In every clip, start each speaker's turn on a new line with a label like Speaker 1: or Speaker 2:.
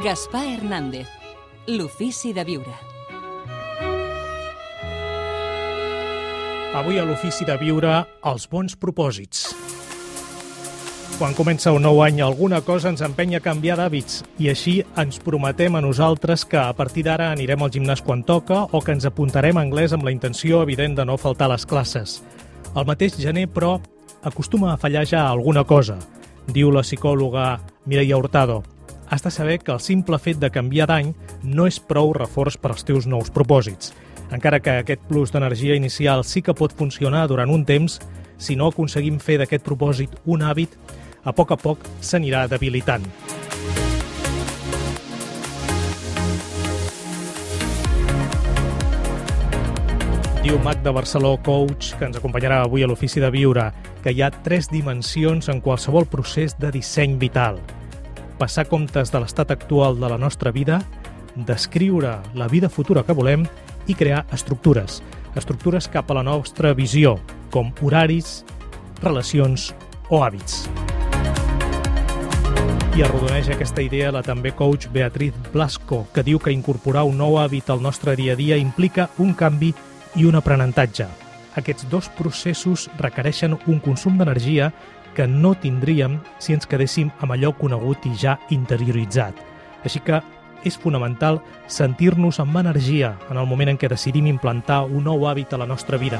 Speaker 1: Gaspar Hernández, l'ofici de viure.
Speaker 2: Avui a l'ofici de viure, els bons propòsits. Quan comença un nou any, alguna cosa ens empenya a canviar d'hàbits i així ens prometem a nosaltres que a partir d'ara anirem al gimnàs quan toca o que ens apuntarem a anglès amb la intenció evident de no faltar a les classes. El mateix gener, però, acostuma a fallar ja alguna cosa. Diu la psicòloga Mireia Hurtado: has de saber que el simple fet de canviar d'any no és prou reforç per als teus nous propòsits. Encara que aquest plus d'energia inicial sí que pot funcionar durant un temps, si no aconseguim fer d'aquest propòsit un hàbit, a poc s'anirà debilitant. Diu Magda Barceló, coach, que ens acompanyarà avui a l'ofici de viure, que hi ha 3 dimensions en qualsevol procés de disseny vital. Passar comptes de l'estat actual de la nostra vida, descriure la vida futura que volem i crear estructures cap a la nostra visió, com horaris, relacions o hàbits. I arrodoneix aquesta idea la també coach Beatriz Blasco, que diu que incorporar un nou hàbit al nostre dia a dia implica un canvi i un aprenentatge. Aquests 2 processos requereixen un consum d'energia que no tindríem si ens quedéssim amb allò conegut i ja interioritzat. Així que és fonamental sentir-nos amb energia en el moment en què decidim implantar un nou hàbit a la nostra vida.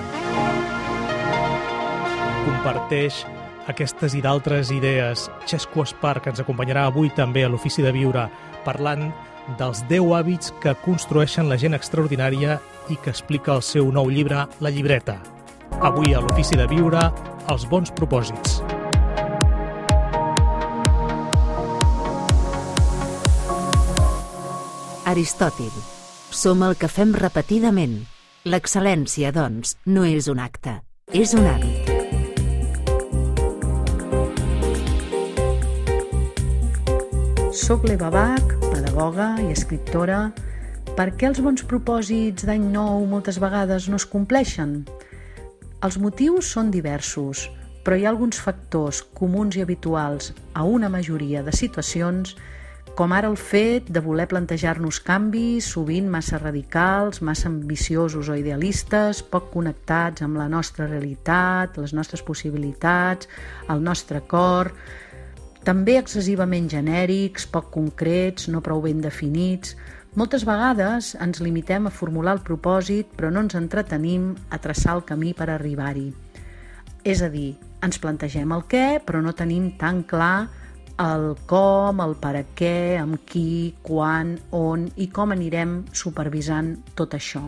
Speaker 2: Comparteix aquestes i d'altres idees Xesco Espar, que ens acompanyarà avui també a l'ofici de viure, parlant dels 10 hàbits que construeixen la gent extraordinària i que explica el seu nou llibre, La llibreta. Avui a l'ofici de viure, els bons propòsits.
Speaker 3: Aristòtil. Som el que fem repetidament. L'excel·lència, doncs, no és un acte, és un hàbit.
Speaker 4: Soc l'Eva Bach, pedagoga i escriptora. Per què els bons propòsits d'any nou moltes vegades no es compleixen? Els motius són diversos, però hi ha alguns factors comuns i habituals a una majoria de situacions, com ara el fet de voler plantejar-nos canvis, sovint massa radicals, massa ambiciosos o idealistes, poc connectats amb la nostra realitat, les nostres possibilitats, el nostre cor, també excessivament genèrics, poc concrets, no prou ben definits. Moltes vegades ens limitem a formular el propòsit, però no ens entretenim a traçar el camí per arribar-hi. És a dir, ens plantegem el què, però no tenim tan clar el com, el per a què, amb qui, quan, on i com anirem supervisant tot això.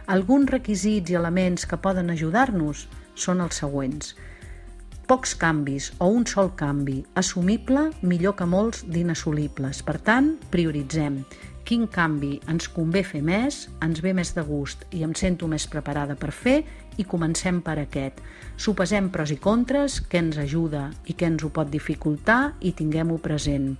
Speaker 4: Alguns requisits i elements que poden ajudar-nos són els següents. Pocs canvis o un sol canvi, assumible millor que molts d'inassolibles. Per tant, prioritzem. Quin canvi ens convé fer més, ens ve més de gust i em sento més preparada per fer i comencem per aquest. Sopesem pros i contres, què ens ajuda i què ens ho pot dificultar i tinguem-ho present.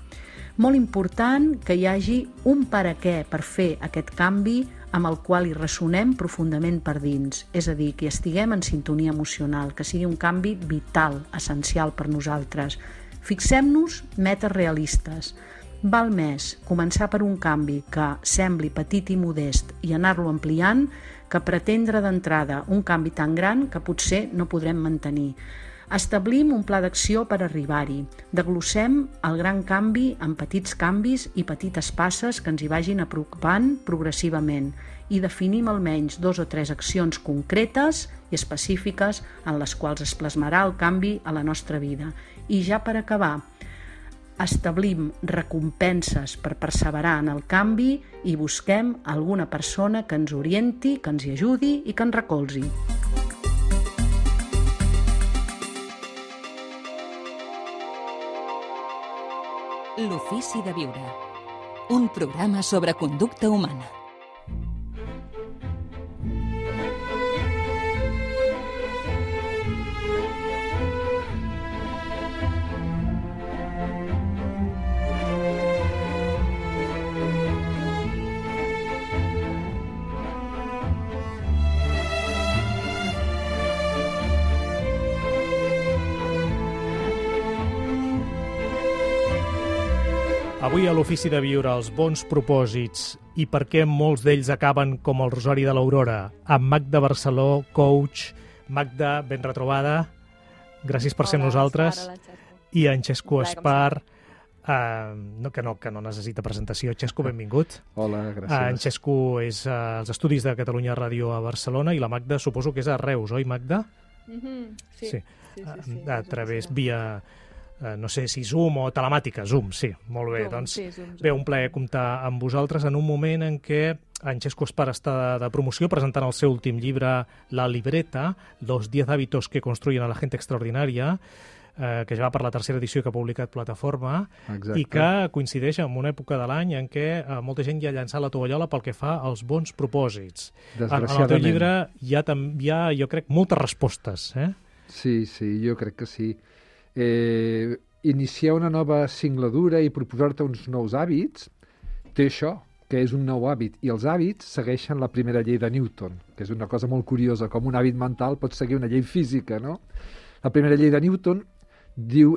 Speaker 4: Molt important que hi hagi un per a què per fer aquest canvi amb el qual hi ressonem profundament per dins, és a dir, que estiguem en sintonia emocional, que sigui un canvi vital, essencial per nosaltres. Fixem-nos metes realistes. Val més començar per un canvi que sembli petit i modest i anar-lo ampliant que pretendre d'entrada un canvi tan gran que potser no podrem mantenir. Establim un pla d'acció per arribar-hi. Desglossem el gran canvi en petits canvis i petites passes que ens hi vagin apropant progressivament i definim almenys 2 o 3 accions concretes i específiques en les quals es plasmarà el canvi a la nostra vida. I ja per acabar, establim recompenses per perseverar en el canvi i busquem alguna persona que ens orienti, que ens hi ajudi i que ens recolzi.
Speaker 1: L'ofici de viure. Un programa sobre conducta humana.
Speaker 2: Avui a l'Ofici de Viure, els bons propòsits i per què molts d'ells acaben com el Rosari de l'Aurora. Amb Magda Barceló, coach. Magda, ben retrobada. Gràcies per ser amb nosaltres. I en Xesco Espar, que no necessita presentació. Xesco, benvingut.
Speaker 5: Hola, gràcies.
Speaker 2: En Xesco és als Estudis de Catalunya Ràdio a Barcelona i la Magda suposo que és a Reus, oi, Magda?
Speaker 6: Sí.
Speaker 2: A través, via... no sé si Zoom o telemàtica. Zoom, sí, molt bé. Zoom. Bé, un plaer comptar amb vosaltres en un moment en què en Xesco Espar està de promoció presentant el seu últim llibre, La libreta, los 10 hábitos que construyen a la gente extraordinaria, que ja va per la tercera edició que ha publicat Plataforma.
Speaker 5: Exacte.
Speaker 2: I que coincideix amb una època de l'any en què molta gent ja ha llançat la tovallola pel que fa als bons propòsits. En el teu llibre hi ha, jo crec, moltes respostes.
Speaker 5: Sí, jo crec que sí. Iniciar una nova singladura i proposar-te uns nous hàbits té això, que és un nou hàbit, i els hàbits segueixen la primera llei de Newton, que és una cosa molt curiosa, com un hàbit mental pot seguir una llei física, no? La primera llei de Newton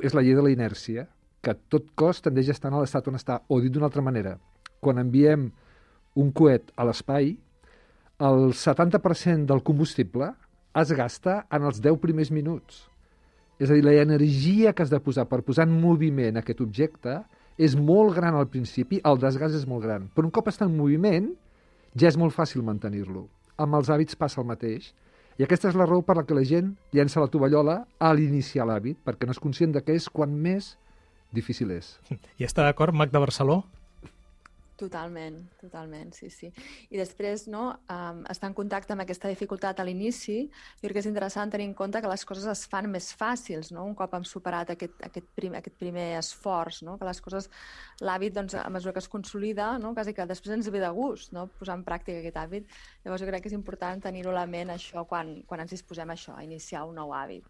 Speaker 5: és la llei de la inèrcia, que tot cos tendeix a estar en l'estat on està, o dit d'una altra manera, quan enviem un coet a l'espai, el 70% del combustible es gasta en els 10 primers minuts. És a dir, l'energia que has de posar per posar en moviment aquest objecte és molt gran al principi, el desgast és molt gran. Però un cop està en moviment, ja és molt fàcil mantenir-lo. Amb els hàbits passa el mateix. I aquesta és la raó per la que la gent llença la tovallola a l'iniciar l'hàbit, perquè no és conscient de què és quan més difícil és.
Speaker 2: I està d'acord, Magda Barceló?
Speaker 6: Totalment, sí. I després, estar en contacte amb aquesta dificultat a l'inici, jo crec que és interessant tenir en compte que les coses es fan més fàcils, no? Un cop hem superat aquest primer esforç, no? Que les coses, l'hàbit, a mesura que es consolida, no? Quasi que després ens ve de gust, no? Posar en pràctica aquest hàbit. Llavors jo crec que és important tenir-ho a la ment, això, quan ens disposem a això, a iniciar un nou hàbit.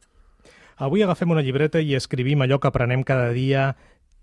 Speaker 2: Avui agafem una llibreta i escrivim allò que aprenem cada dia,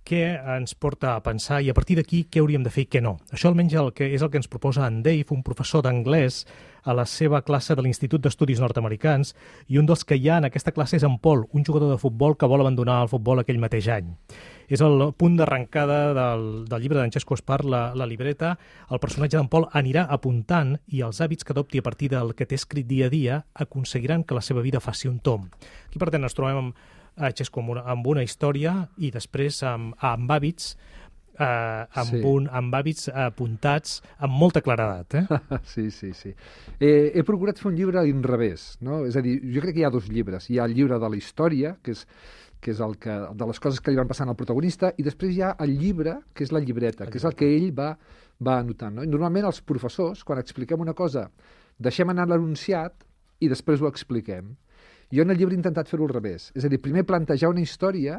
Speaker 2: què ens porta a pensar i a partir d'aquí què hauríem de fer i què no. Això almenys és el que ens proposa en Dave, un professor d'anglès, a la seva classe de l'Institut d'Estudis Nord-Americans, i un dels que hi ha en aquesta classe és en Paul, un jugador de futbol que vol abandonar el futbol aquell mateix any. És el punt d'arrencada del llibre d'en Xesco Espar, la libreta. El personatge d'en Paul anirà apuntant i els hàbits que adopti a partir del que té escrit dia a dia aconseguiran que la seva vida faci un tomb. Aquí, per tant, ens trobem Xesco amb una història i després amb hàbits amb hàbits apuntats amb molta claredat.
Speaker 5: Sí. He procurat fer un llibre a l'inrevés, no? És a dir, jo crec que hi ha dos llibres. Hi ha el llibre de la història, que és de les coses que li van passant al protagonista, i després hi ha el llibre, que és la llibreta, que és el que ell va anotant. No? I normalment els professors, quan expliquem una cosa, deixem anar l'enunciat i després ho expliquem. Jo en el llibre he intentat fer-ho al revés. És a dir, primer plantejar una història,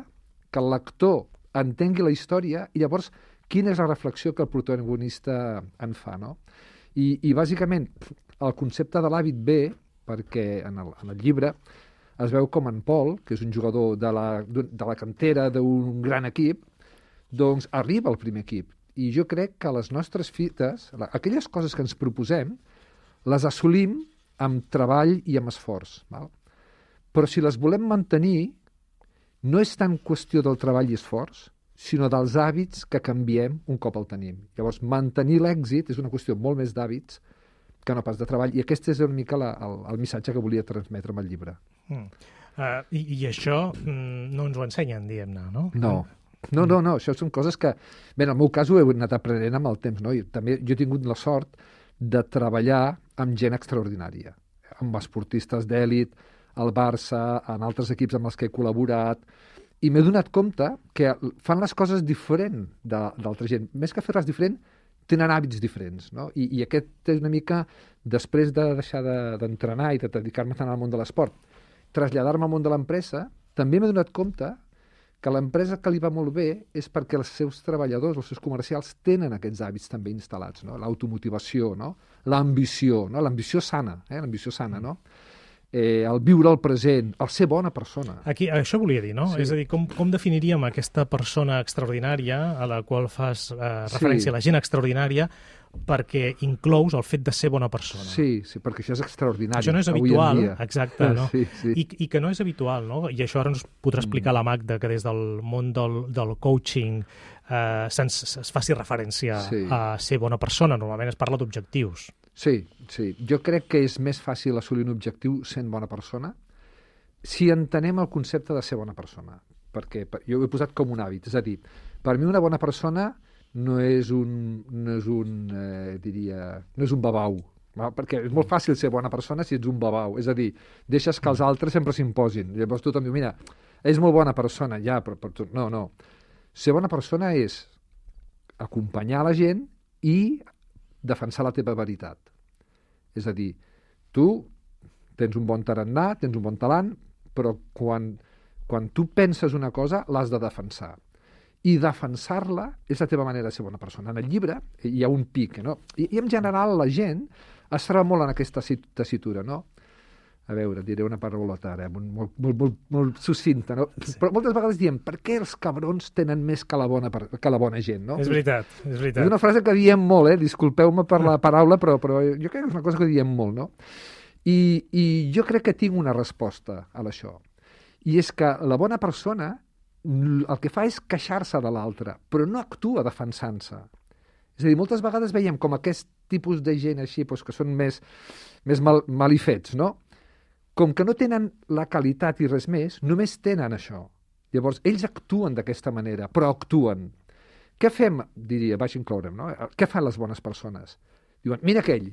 Speaker 5: que el lector entengui la història i llavors quina és la reflexió que el protagonista en fa. No? I bàsicament el concepte de l'hàbit ve perquè en el llibre es veu com en Paul, que és un jugador de la cantera d'un gran equip, doncs arriba al primer equip. I jo crec que les nostres fites, aquelles coses que ens proposem, les assolim amb treball i amb esforç. Val? Però si les volem mantenir, no és tant qüestió del treball i esforç, sinó dels hàbits que canviem un cop el tenim. Llavors, mantenir l'èxit és una qüestió molt més d'hàbits que no pas de treball. I aquest és una mica el missatge que volia transmetre amb el llibre.
Speaker 2: I això no ens ho ensenyen, diguem-ne, no?
Speaker 5: No, això són coses que... Bé, en el meu cas ho he anat aprenent amb el temps, no? I també jo he tingut la sort de treballar amb gent extraordinària, amb esportistes d'èlit, al Barça, en altres equips amb els que he col·laborat, i m'he donat compte que fan les coses diferent d'altra gent. Més que fer-les diferent, tenen hàbits diferents, no? I aquest és una mica, després de deixar d'entrenar i de dedicar-me tant al món de l'esport, traslladar-me al món de l'empresa, també m'he donat compte que l'empresa que li va molt bé és perquè els seus treballadors, els seus comercials, tenen aquests hàbits també instal·lats, no? L'automotivació, no? L'ambició sana, no? el viure el present, el ser bona persona.
Speaker 2: Aquí, això volia dir, no?
Speaker 5: Sí.
Speaker 2: És a dir, com definiríem aquesta persona extraordinària a la qual fas referència, la gent extraordinària, perquè inclous el fet de ser bona persona.
Speaker 5: Sí, perquè això és extraordinari.
Speaker 2: Això no és
Speaker 5: avui en
Speaker 2: habitual,
Speaker 5: dia.
Speaker 2: exacte, no?
Speaker 5: Sí.
Speaker 2: I que no és habitual, no? I això ara ens podrà explicar la Magda, que des del món del coaching es faci referència a ser bona persona. Normalment es parla d'objectius.
Speaker 5: Sí. Jo crec que és més fàcil assolir un objectiu sent bona persona si entenem el concepte de ser bona persona. Perquè jo ho he posat com un hàbit. És a dir, per mi una bona persona no és un babau, perquè és molt fàcil ser bona persona si ets un babau, és a dir, deixes que els altres sempre s'imposin. Llavors tothom diu, mira, és molt bona persona, ja, però tu... No. Ser bona persona és acompanyar la gent i defensar la teva veritat. És a dir, tu tens un bon tarannà, tens un bon talant, però quan tu penses una cosa, l'has de defensar. I defensar-la és la teva manera de ser bona persona. En el llibre hi ha un pic, no? I en general la gent es troba molt en aquesta tessitura, no? A veure, diré una paraulota ara, molt succinta, no? Però moltes vegades diem, per què els cabrons tenen més que la bona gent, no?
Speaker 2: És veritat.
Speaker 5: És una frase que diem molt, disculpeu-me per la paraula, però jo crec que és una cosa que diem molt, no? I jo crec que tinc una resposta a això. I és que la bona persona el que fa és queixar-se de l'altre, però no actua defensant-se. És a dir, moltes vegades veiem com aquest tipus de gent així, que són més malifets, no? Com que no tenen la qualitat i res més, només tenen això. Llavors, ells actuen d'aquesta manera, però actuen. Què fem, diria, vaig incloure'm, no? Què fan les bones persones? Diuen, mira aquell,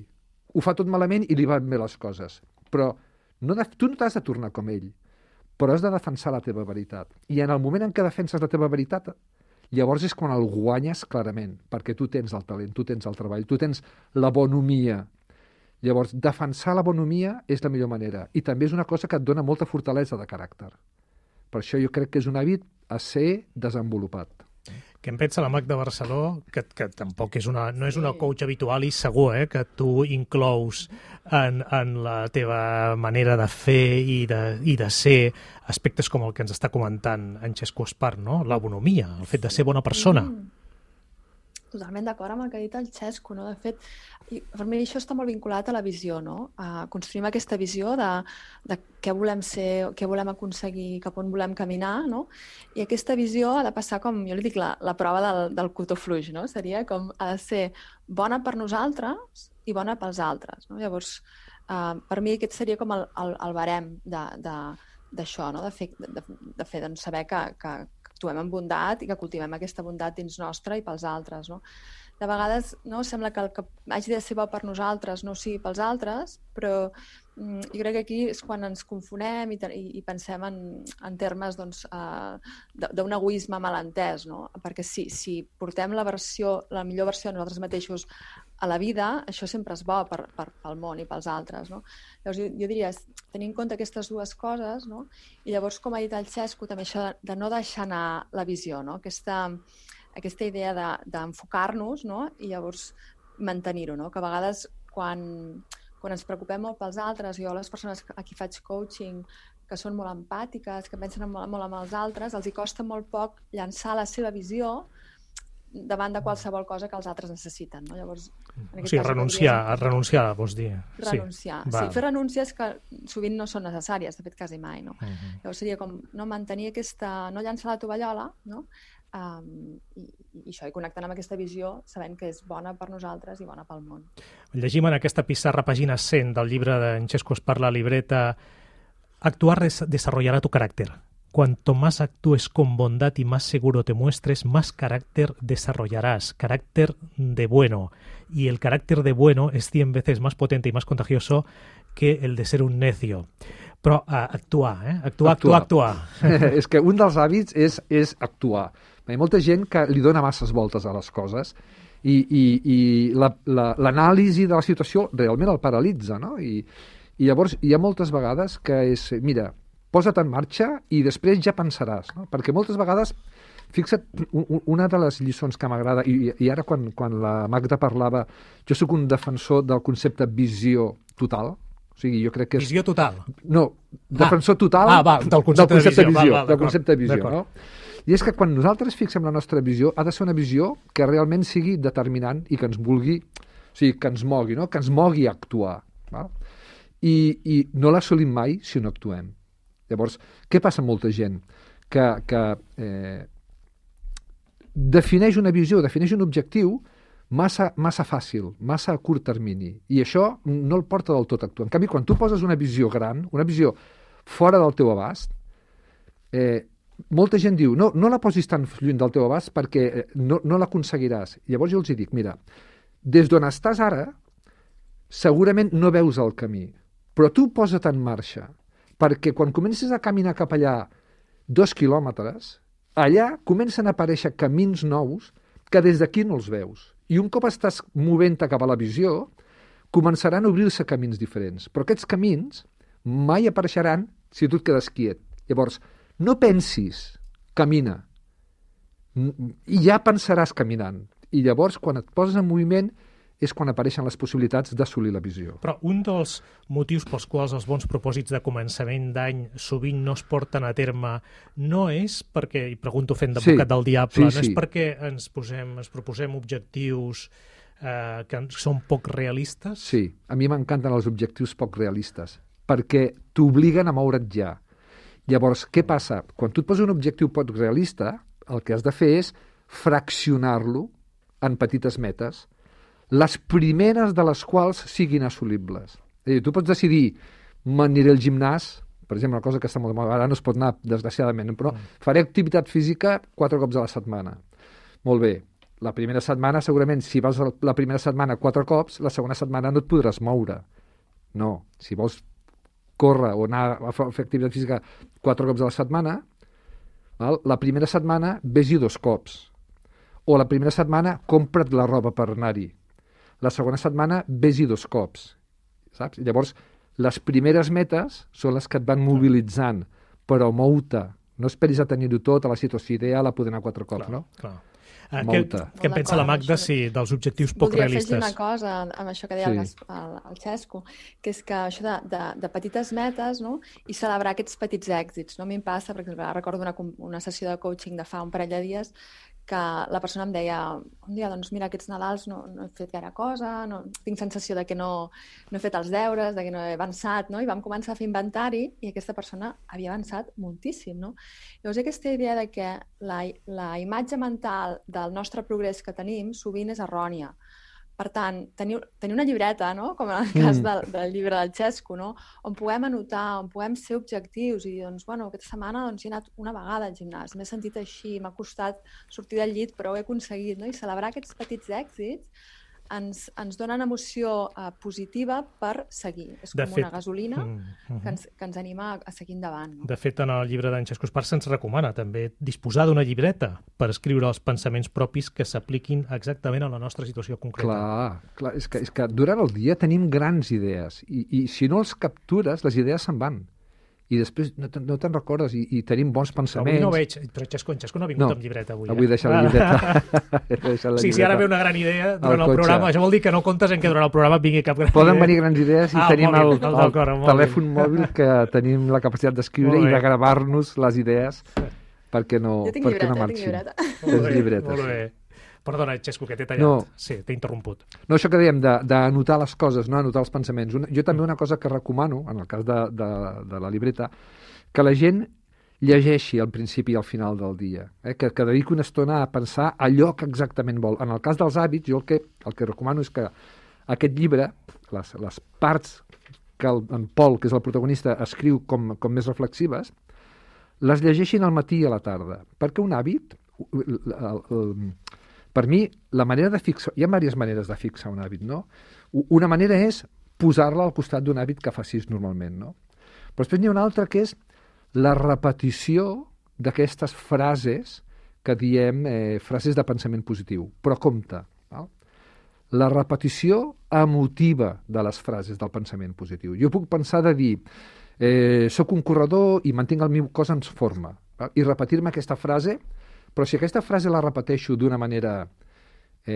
Speaker 5: ho fa tot malament i li van bé les coses. Però tu no t'has de tornar com ell, però has de defensar la teva veritat. I en el moment en què defenses la teva veritat, llavors és quan el guanyes clarament, perquè tu tens el talent, tu tens el treball, tu tens la bonomia. Llavors, defensar la bonomia és la millor manera. I també és una cosa que et dona molta fortalesa de caràcter. Per això jo crec que és un hàbit a ser desenvolupat.
Speaker 2: Què en pensa la Magda Barceló, que tampoc no és una coach habitual i segur que tu inclous en la teva manera de fer i de ser aspectes com el que ens està comentant en Xesco Espart, no? La bonomia, el fet de ser bona persona.
Speaker 6: Totalment d'acord amb el que ha dit el Xesco, no? De fet, per mi això està molt vinculat a la visió, no? Construïm aquesta visió de què volem ser, què volem aconseguir, cap on volem caminar, no? I aquesta visió ha de passar com, jo li dic, la prova del cotó fluix, no? Seria com ha de ser bona per nosaltres i bona pels altres, no? Llavors, per mi aquest seria com el barem d'això, no? De fer doncs, saber que actuem amb bondat i que cultivem aquesta bondat dins nostra i pels altres, no? De vegades sembla que el que hagi de ser bo per nosaltres no sigui pels altres, però jo crec que aquí és quan ens confonem i pensem en termes d'un egoisme malentès, no? Perquè si portem la millor versió de nosaltres mateixos a la vida, això sempre és bo pel món i pels altres, no? Llavors jo diria, tenir en compte aquestes dues coses, no? I llavors, com ha dit el Xesco, també això de no deixar anar la visió, no? Aquesta idea d'enfocar-nos, no? I llavors mantenir-ho, no? Que a vegades quan ens preocupem molt pels altres, jo les persones a qui faig coaching que són molt empàtiques, que pensen molt en els altres, els hi costa molt poc llançar la seva visió davant de qualsevol cosa que els altres necessiten, no? Llavors,
Speaker 2: o sigui, renunciar, vols dir.
Speaker 6: Renunciar, sí. Fer renúncies que sovint no són necessàries, de fet quasi mai, no? Llavors seria com mantenir no llançar la tovallola, no? I això, i connectant amb aquesta visió, sabent que és bona per nosaltres i bona pel món.
Speaker 2: Llegim en aquesta pissarra, pàgina 100 del llibre d'en Xesco Espart, la libreta, actuar desarrollará tu carácter. Cuanto más actúes con bondad y más seguro te muestres, más carácter desarrollarás, carácter de bueno. Y el carácter de bueno es 100 veces más potente y más contagioso que el de ser un necio. Però actuar.
Speaker 5: És que un dels hàbits és actuar. Hi ha molta gent que li dona masses voltes a les coses i l'anàlisi de la situació realment el paralitza, no? I llavors hi ha moltes vegades que és, mira, posa't en marxa i després ja pensaràs, no? Perquè moltes vegades, fixa't, una de les lliçons que m'agrada, i ara quan la Magda parlava, jo sóc un defensor del concepte visió total, O sigui, jo crec que és...
Speaker 2: Visió total.
Speaker 5: No, defensor total
Speaker 2: del concepte de visió.
Speaker 5: Del concepte de visió, no? I és que quan nosaltres fixem la nostra visió, ha de ser una visió que realment sigui determinant i que ens vulgui, o sigui, que ens mogui, no? Que ens mogui a actuar. Val? I no l'assolim mai si no actuem. Llavors, què passa amb molta gent? Que defineix una visió, defineix un objectiu massa fàcil, massa a curt termini. I això no el porta del tot a actuar. En canvi, quan tu poses una visió gran, una visió fora del teu abast, molta gent diu, no la posis tan lluny del teu abast perquè no l'aconseguiràs. Llavors jo els dic, mira, des d'on estàs ara, segurament no veus el camí, però tu posa't en marxa, perquè quan comences a caminar cap allà 2 quilòmetres, allà comencen a aparèixer camins nous que des d'aquí no els veus. I un cop estàs movent-te cap a la visió, començaran a obrir-se camins diferents. Però aquests camins mai apareixeran si tu et quedes quiet. Llavors, no pensis, camina. I ja pensaràs caminant. I llavors, quan et poses en moviment, és quan apareixen les possibilitats d'assolir la visió.
Speaker 2: Però un dels motius pels quals els bons propòsits de començament d'any sovint no es porten a terme no és perquè, i pregunto fent d'advocat del diable, no és perquè ens proposem objectius que són poc realistes?
Speaker 5: Sí, a mi m'encanten els objectius poc realistes, perquè t'obliguen a moure't ja. Llavors, què passa? Quan tu et poses un objectiu poc realista, el que has de fer és fraccionar-lo en petites metes, les primeres de les quals siguin assolibles. És a dir, tu pots decidir, m'aniré al gimnàs, per exemple, una cosa que està molt de moda, ara no es pot anar, desgraciadament, però faré activitat física 4 cops a la setmana. Molt bé, la primera setmana, segurament, si vas la primera setmana 4 cops, la segona setmana no et podràs moure. No, si vols córrer o anar a fer activitat física 4 cops a la setmana, val? La primera setmana vés-hi 2 cops. O la primera setmana compra't la roba per anar-hi. La segona setmana vés-hi 2 cops. Saps? Llavors, les primeres metes són les que et van mobilitzant, però mou-te. No esperis a tenir-ho tot, a la situació ideal, a poder anar 4 cops, no?
Speaker 2: Clar. Què en pensa la Magda dels objectius poc realistes?
Speaker 6: Voldria afegir una cosa amb això que deia el Xesco, que és que això de petites metes, no? I celebrar aquests petits èxits. No? A mi em passa, per exemple, recordo una sessió de coaching de fa un parell de dies que la persona em deia un dia, doncs mira, aquests Nadals no he fet gaire cosa, tinc sensació de que no he fet els deures, de que no he avançat, no? I vam començar a fer inventari i aquesta persona havia avançat moltíssim, no? Llavors, aquesta idea de que la imatge mental del nostre progrés que tenim sovint és errònia. Per tant, tenir una llibreta, no? Com en el cas del llibre del Xesco, no? On puguem anotar, on puguem ser objectius i dir, doncs, bueno, aquesta setmana he anat una vegada al gimnàs, m'he sentit així, m'ha costat sortir del llit, però ho he aconseguit, no? I celebrar aquests petits èxits ens donen emoció positiva per seguir. És com una gasolina que ens anima a seguir endavant. No?
Speaker 2: De fet, en el llibre d'en Xesco Esparza se'ns recomana també disposar d'una llibreta per escriure els pensaments propis que s'apliquin exactament a la nostra situació concreta.
Speaker 5: Clar, és que durant el dia tenim grans idees i si no els captures, les idees se'n van. I després no te'n recordes i tenim bons pensaments.
Speaker 2: Avui no veig, però Xesco no ha vingut amb llibreta avui.
Speaker 5: Avui deixa la llibreta.
Speaker 2: Sí, si ara ve una gran idea durant el programa, això vol dir que no comptes en que durant el programa vingui cap gran idea.
Speaker 5: Poden venir grans idees i tenim el telèfon mòbil que tenim la capacitat d'escriure i de gravar-nos les idees perquè no marxin.
Speaker 6: Jo tinc llibreta.
Speaker 2: Molt bé. Perdona, Xesco, que t'he tallat. Sí, t'he interromput.
Speaker 5: No, això que dèiem, d'anotar les coses, no anotar els pensaments. Jo també una cosa que recomano, en el cas de la llibreta, que la gent llegeixi al principi i al final del dia. Que dediqui una estona a pensar allò que exactament vol. En el cas dels hàbits, jo el que recomano és que aquest llibre, les parts que en Pol, que és el protagonista, escriu com més reflexives, les llegeixin al matí i a la tarda. Perquè un hàbit... Per mi, la manera de fixar... Hi ha diverses maneres de fixar un hàbit, no? Una manera és posar-la al costat d'un hàbit que facis normalment, no? Però després n'hi ha una altra que és la repetició d'aquestes frases que diem frases de pensament positiu. Però compte, val? La repetició emotiva de les frases del pensament positiu. Jo puc pensar de dir soc un corredor i mantinc el meu cos en forma, val? I repetir-me aquesta frase. Però si aquesta frase la repeteixo d'una manera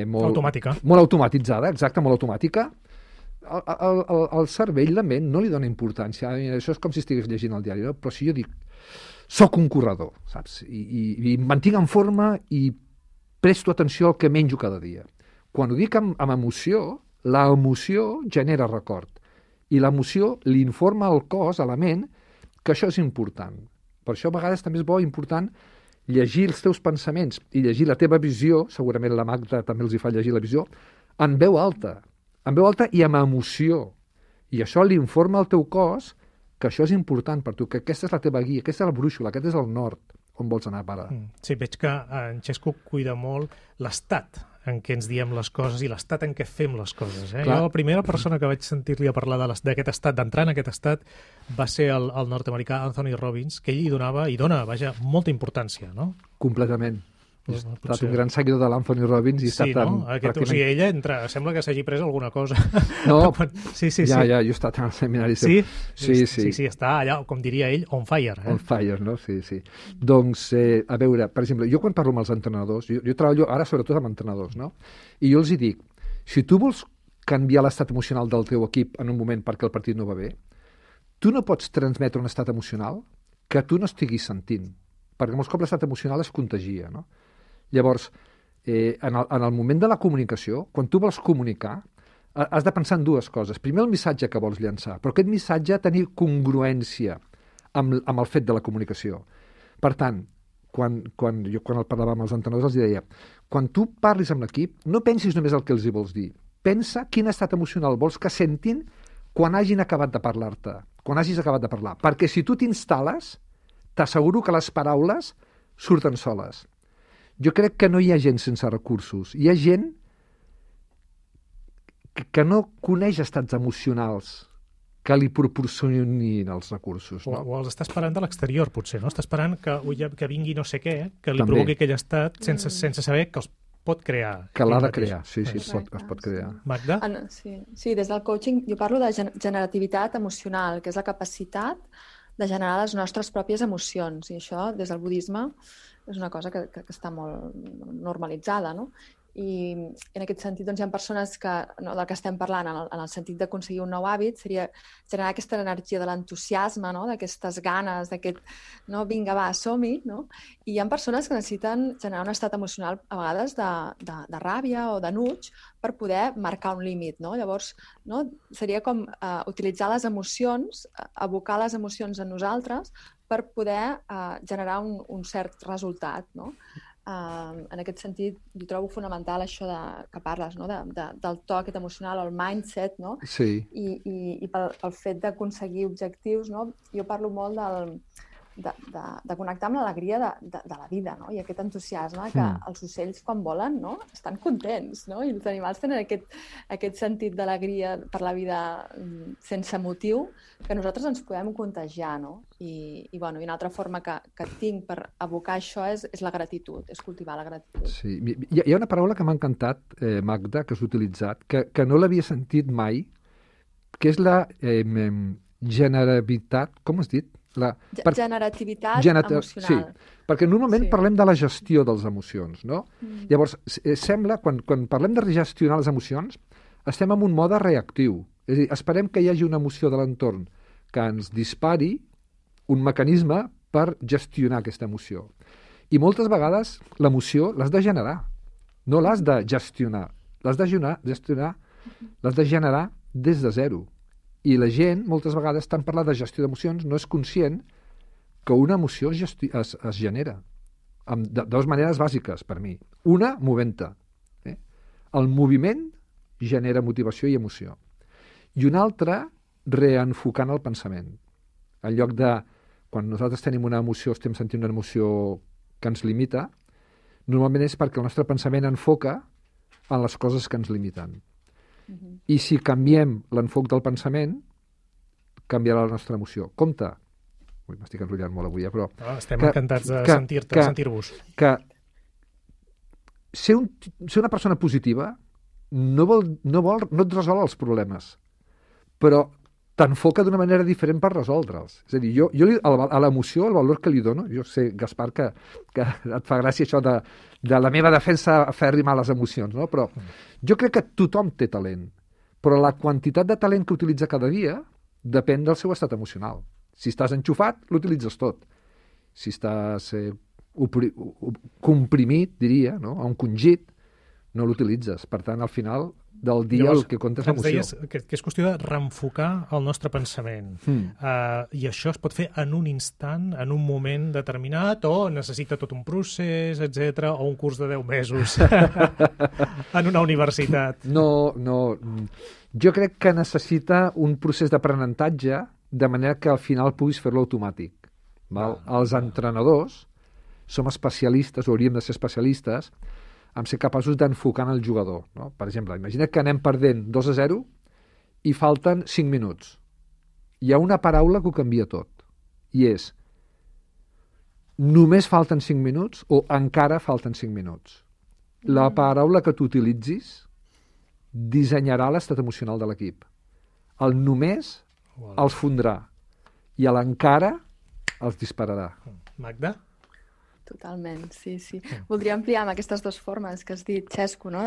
Speaker 5: molt
Speaker 2: automàtica.
Speaker 5: Molt automatitzada, exacte, molt automàtica, el cervell, la ment, no li dona importància. Això és com si estigués llegint el diari, no? Però si jo dic, soc un corredor, saps? I em mantinc en forma i presto atenció al que menjo cada dia. Quan ho dic amb emoció, l'emoció genera record. I l'emoció li informa al cos, a la ment, que això és important. Per això a vegades també és important llegir els teus pensaments i llegir la teva visió, segurament la Magda també els hi fa llegir la visió, en veu alta i amb emoció. I això li informa al teu cos que això és important per tu, que aquesta és la teva guia, aquesta és la brúixola, aquest és el nord on vols anar a parar.
Speaker 2: Sí, veig que en Xesco cuida molt l'estat en què ens diem les coses i l'estat en què fem les coses. Jo la primera persona que vaig sentir-li a parlar d'aquest estat, d'entrar en aquest estat, va ser el nord-americà Anthony Robbins, que ell hi donava, molta importància, no?
Speaker 5: Completament. He estat un gran seguidor de l'Anthony Robbins i he estat
Speaker 2: pràcticament... O sigui, ella sembla que s'hagi pres alguna cosa.
Speaker 5: No,
Speaker 2: sí.
Speaker 5: Ja, jo he estat en el seminari.
Speaker 2: Sí, està allà, com diria ell, on fire.
Speaker 5: On fire, no? Sí. Doncs, a veure, per exemple, jo quan parlo amb els entrenadors, jo treballo ara sobretot amb entrenadors, no? I jo els hi dic, si tu vols canviar l'estat emocional del teu equip en un moment perquè el partit no va bé, tu no pots transmetre un estat emocional que tu no estiguis sentint, perquè molts cops l'estat emocional es contagia, no? Llavors, en el moment de la comunicació, quan tu vols comunicar, has de pensar en dues coses. Primer, el missatge que vols llançar, però aquest missatge ha de tenir congruència amb el fet de la comunicació. Per tant, quan el parlava amb els entrenadors, els deia, quan tu parlis amb l'equip, no pensis només el que els hi vols dir. Pensa quin estat emocional vols que sentin quan hagin acabat de parlar-te, quan hagis acabat de parlar. Perquè si tu t'instal·les, t'asseguro que les paraules surten soles. Jo crec que no hi ha gent sense recursos. Hi ha gent que no coneix estats emocionals que li proporcionin els recursos. No?
Speaker 2: O els està esperant de l'exterior, potser, no? Està esperant que vingui no sé què, que li provoqui aquell estat sense saber que els pot crear.
Speaker 5: Que l'ha de crear, sí, es pot crear.
Speaker 2: Magda?
Speaker 6: Sí, des del coaching jo parlo de generativitat emocional, que és la capacitat de generar les nostres pròpies emocions. I això, des del budisme, és una cosa que està molt normalitzada, no? I en aquest sentit doncs, hi ha persones que, no, del que estem parlant, en el sentit d'aconseguir un nou hàbit, seria generar aquesta energia de l'entusiasme, no? D'aquestes ganes, d'aquest, no, vinga, va, som-hi, no? I hi ha persones que necessiten generar un estat emocional, a vegades, de ràbia o d'enuig per poder marcar un límit, no? Llavors, no, seria com utilitzar les emocions, abocar les emocions en nosaltres per poder generar un cert resultat, no? En aquest sentit, jo trobo fonamental això que parles, no? Del to aquest emocional, el mindset, no?
Speaker 5: Sí.
Speaker 6: I pel fet d'aconseguir objectius, no? Jo parlo molt de connectar amb l'alegria de la vida, no? I aquest entusiasme que els ocells, quan volen, no? Estan contents, no? I els animals tenen aquest sentit d'alegria per la vida sense motiu que nosaltres ens podem contagiar, no? I una altra forma que tinc per abocar això és la gratitud, és cultivar la gratitud.
Speaker 5: Sí. Hi ha una paraula que m'ha encantat, Magda, que has utilitzat, que no l'havia sentit mai, que és la generabilitat, com has dit?
Speaker 6: Generativitat emocional.
Speaker 5: Sí, perquè normalment parlem de la gestió de les emocions, no? Llavors, sembla, quan parlem de gestionar les emocions, estem en un mode reactiu. És a dir, esperem que hi hagi una emoció de l'entorn que ens dispari un mecanisme per gestionar aquesta emoció. I moltes vegades l'emoció l'has de generar, no l'has de gestionar. L'has de generar des de zero. I la gent, moltes vegades, tant parlar de gestió d'emocions, no és conscient que una emoció es genera de dues maneres bàsiques, per mi. Una, movent-te. El moviment genera motivació i emoció. I una altra, reenfocant el pensament. En lloc de, quan nosaltres tenim una emoció, estem sentint una emoció que ens limita, normalment és perquè el nostre pensament enfoca en les coses que ens limiten. I si canviem l'enfoc del pensament, canviarà la nostra emoció. Compte. M'estic enrotllant molt avui, però...
Speaker 2: Estem encantats de sentir-vos.
Speaker 5: Que ser una persona positiva no et resol els problemes, però t'enfoca d'una manera diferent per resoldre'ls. És a dir, jo a l'emoció, el valor que li dono, jo sé, Gaspar, que et fa gràcia això de la meva defensa fer rimar les emocions, no? Però jo crec que tothom té talent, però la quantitat de talent que utilitza cada dia depèn del seu estat emocional. Si estàs enxufat, l'utilitzes tot. Si estàs comprimit, diria, no? A un congit, no l'utilitzes. Per tant, al final del dia el que compta és l'emoció.
Speaker 2: Ens deies que és qüestió de reenfocar el nostre pensament. I això es pot fer en un instant, en un moment determinat, o necessita tot un procés, etc, o un curs de 10 mesos en una universitat?
Speaker 5: No. Jo crec que necessita un procés d'aprenentatge de manera que al final puguis fer-lo automàtic. Els entrenadors som especialistes, o hauríem de ser especialistes, en ser capaços d'enfocar en el jugador. No? Per exemple, imagina que anem perdent 2-0 i falten 5 minuts. Hi ha una paraula que ho canvia tot, i és només falten 5 minuts o encara falten 5 minuts. La paraula que tu utilitzis dissenyarà l'estat emocional de l'equip. El només els fondrà i l'encara els dispararà.
Speaker 2: Magda?
Speaker 6: Totalment, sí. Voldria ampliar amb aquestes dues formes que has dit, Xesco, no?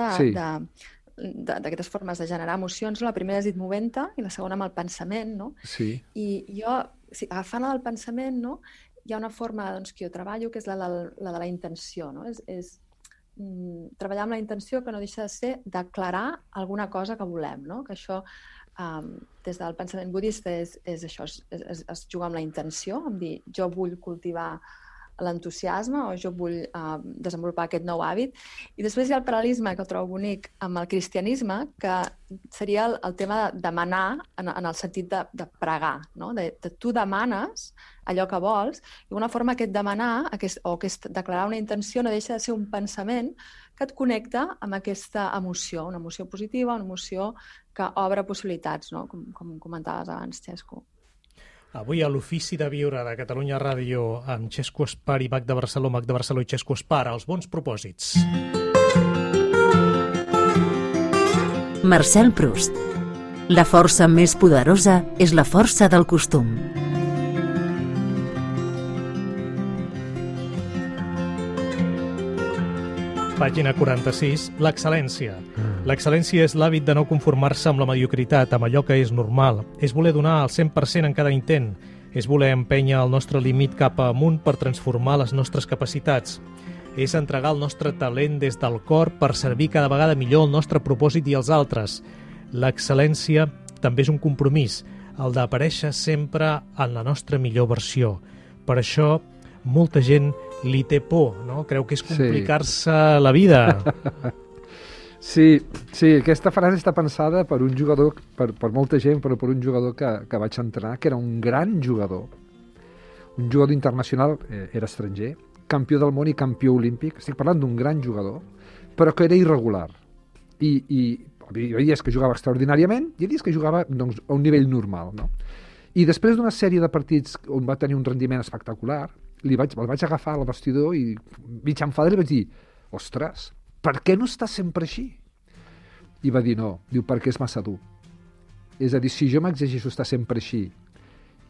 Speaker 6: D'aquestes formes de generar emocions. La primera has dit movent-te i la segona amb el pensament, no?
Speaker 5: Sí.
Speaker 6: I jo, agafant el pensament, no? Hi ha una forma que jo treballo que és la de la intenció, no? És treballar amb la intenció que no deixa de ser declarar alguna cosa que volem, no? Que això, des del pensament budista, és això, es jugar amb la intenció, amb dir, jo vull cultivar l'entusiasme o jo vull desenvolupar aquest nou hàbit. I després hi ha el paral·lelisme que el trobo bonic amb el cristianisme, que seria el tema de demanar en el sentit de pregar, no? De tu demanes allò que vols, i una forma que et demanar o que declarar una intenció no deixa de ser un pensament que et connecta amb aquesta emoció, una emoció positiva, una emoció que obre possibilitats, no? Com comentaves abans, Xesco.
Speaker 2: Avui a l'Ofici de Viure de Catalunya Ràdio amb Xesco Espar i Magda Barceló i Xesco Espar, els bons propòsits.
Speaker 3: Marcel Proust. La força més poderosa és la força del costum.
Speaker 2: Pàgina 46, l'excel·lència. L'excel·lència és l'hàbit de no conformar-se amb la mediocritat, amb allò que és normal. És voler donar el 100% en cada intent. És voler empènyer el nostre límit cap amunt per transformar les nostres capacitats. És entregar el nostre talent des del cor per servir cada vegada millor el nostre propòsit i els altres. L'excel·lència també és un compromís, el d'aparèixer sempre en la nostra millor versió. Per això, molta gent li té por, no? Creu que és complicar-se la vida.
Speaker 5: Sí, aquesta frase està pensada per un jugador, per molta gent, però per un jugador que vaig entrenar, que era un gran jugador. Un jugador internacional, era estranger, campió del món i campió olímpic. Estic parlant d'un gran jugador, però que era irregular. I hi havia dies que jugava extraordinàriament i hi havia dies que jugava a un nivell normal, no? I després d'una sèrie de partits on va tenir un rendiment espectacular, el vaig agafar al vestidor i mig enfadar i li vaig dir, ostres, per què no estàs sempre així? I va dir no, perquè és massa dur. És a dir, si jo m'exigeixo estar sempre així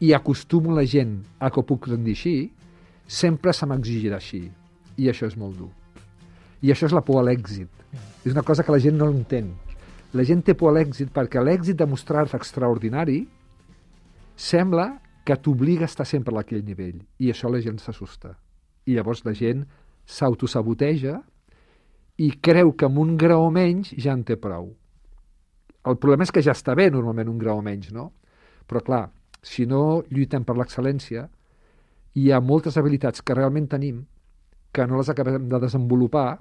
Speaker 5: i acostumo la gent a que ho puc rendir així, sempre se m'exigirà així. I això és molt dur. I això és la por a l'èxit. És una cosa que la gent no entén. La gent té por a l'èxit perquè l'èxit de mostrar-se extraordinari sembla que t'obliga a estar sempre a aquell nivell. I això la gent s'assusta. I llavors la gent s'autosaboteja i creu que amb un grau menys ja en té prou. El problema és que ja està bé normalment un grau menys, no? Però clar, si no lluitem per l'excel·lència, hi ha moltes habilitats que realment tenim que no les acabem de desenvolupar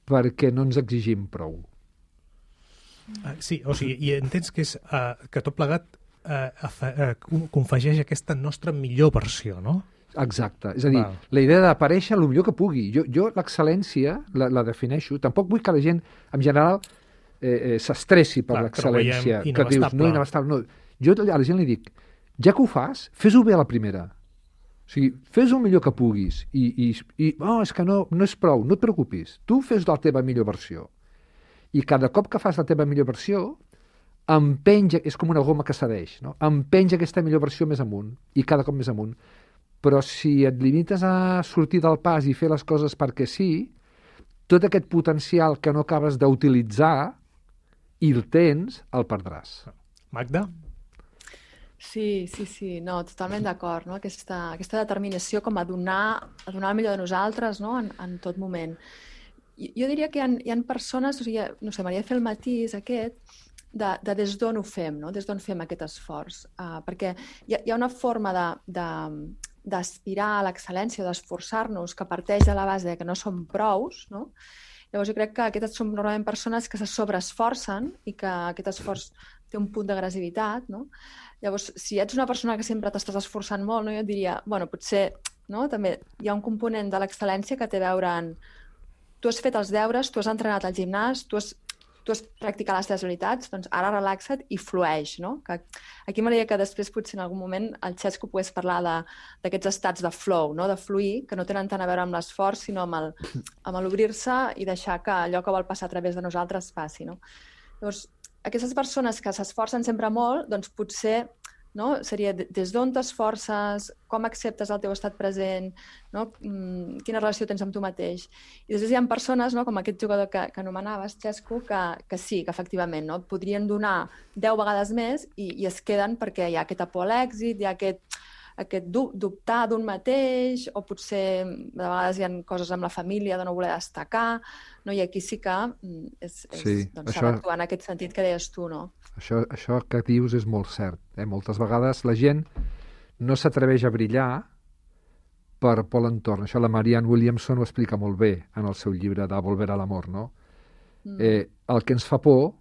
Speaker 5: perquè no ens exigim prou.
Speaker 2: Sí, o sigui, i entens que és que tot plegat confegeix aquesta nostra millor versió, no?
Speaker 5: Exacte, és a dir, la idea d'aparèixer el millor que pugui. Jo l'excel·lència la defineixo, tampoc vull que la gent, en general, s'estressi per l'excel·lència, que dius, no, inabastable. No. Jo a la gent li dic, ja que ho fas, fes-ho bé a la primera. O sigui, fes-ho el millor que puguis i és que no és prou, no et preocupis. Tu fes la teva millor versió. I cada cop que fas la teva millor versió, empenja, és com una goma que cedeix, no? Empenja aquesta millor versió més amunt, i cada cop més amunt. Però si et limites a sortir del pas i fer les coses perquè sí, tot aquest potencial que no acabes d'utilitzar i el tens, el perdràs.
Speaker 2: Magda?
Speaker 6: Sí, no, totalment d'acord, no? Aquesta determinació com a donar el millor de nosaltres, no? En tot moment. Jo diria que hi ha persones, o sigui, no sé, m'hauria de fer el matís aquest, de des d'on ho fem, no? Des d'on fem aquest esforç. Perquè hi ha una forma d'aspirar a l'excel·lència, d'esforçar-nos, que parteix de la base que no som prous, no? Llavors jo crec que aquestes són normalment persones que se sobreesforcen i que aquest esforç té un punt d'agressivitat, no? Llavors, si ets una persona que sempre t'estàs esforçant molt, no? Jo et diria, bueno, potser, no? També hi ha un component de l'excel·lència que té a veure en tu has fet els deures, tu has entrenat al gimnàs, tu has practicat les teves habilitats, doncs ara relaxa't i flueix, no? Que aquí m'agradaria que després potser en algun moment el Xesco pogués parlar d'aquests estats de flow, no? De fluir, que no tenen tant a veure amb l'esforç, sinó amb l'obrir-se i deixar que allò que vol passar a través de nosaltres passi, no? Llavors, aquestes persones que s'esforcen sempre molt, doncs potser, no? Seria des d'on t'esforces, com acceptes el teu estat present, no? Quina relació tens amb tu mateix. I després hi ha persones, no? Com aquest jugador que anomenaves, Xesco, que sí, que efectivament, no? Podrien donar 10 vegades més i es queden perquè hi ha aquesta por a l'èxit, hi ha aquest dubtar d'un mateix, o potser de vegades hi ha coses amb la família de no voler destacar, no? I aquí sí que s'ha d'actuar en aquest sentit que deies tu, no?
Speaker 5: Això que dius és molt cert. Moltes vegades la gent no s'atreveix a brillar per l'entorn. Això la Marianne Williamson ho explica molt bé en el seu llibre de Volver a l'amor, no? El que ens fa por